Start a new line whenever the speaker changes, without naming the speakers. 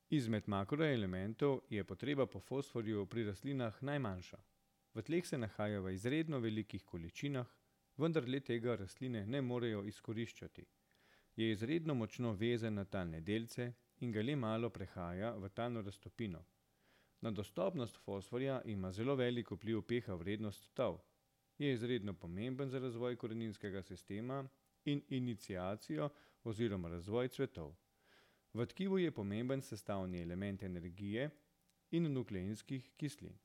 Izmed makroelementov je potreba po fosforju pri rastlinah najmanjša. V tleh se nahaja v izredno velikih količinah, vendar le tega rastline ne morejo izkoriščati. Je izredno močno vezan na talne delce in ga le malo prehaja v talno raztopino. Na dostopnost fosforja ima zelo velik vpliv pH vrednost tal. Je izredno pomemben za razvoj koreninskega sistema in iniciacijo oziroma razvoj cvetov. V tkivu je pomemben sestavni element energije in nukleinskih kislin.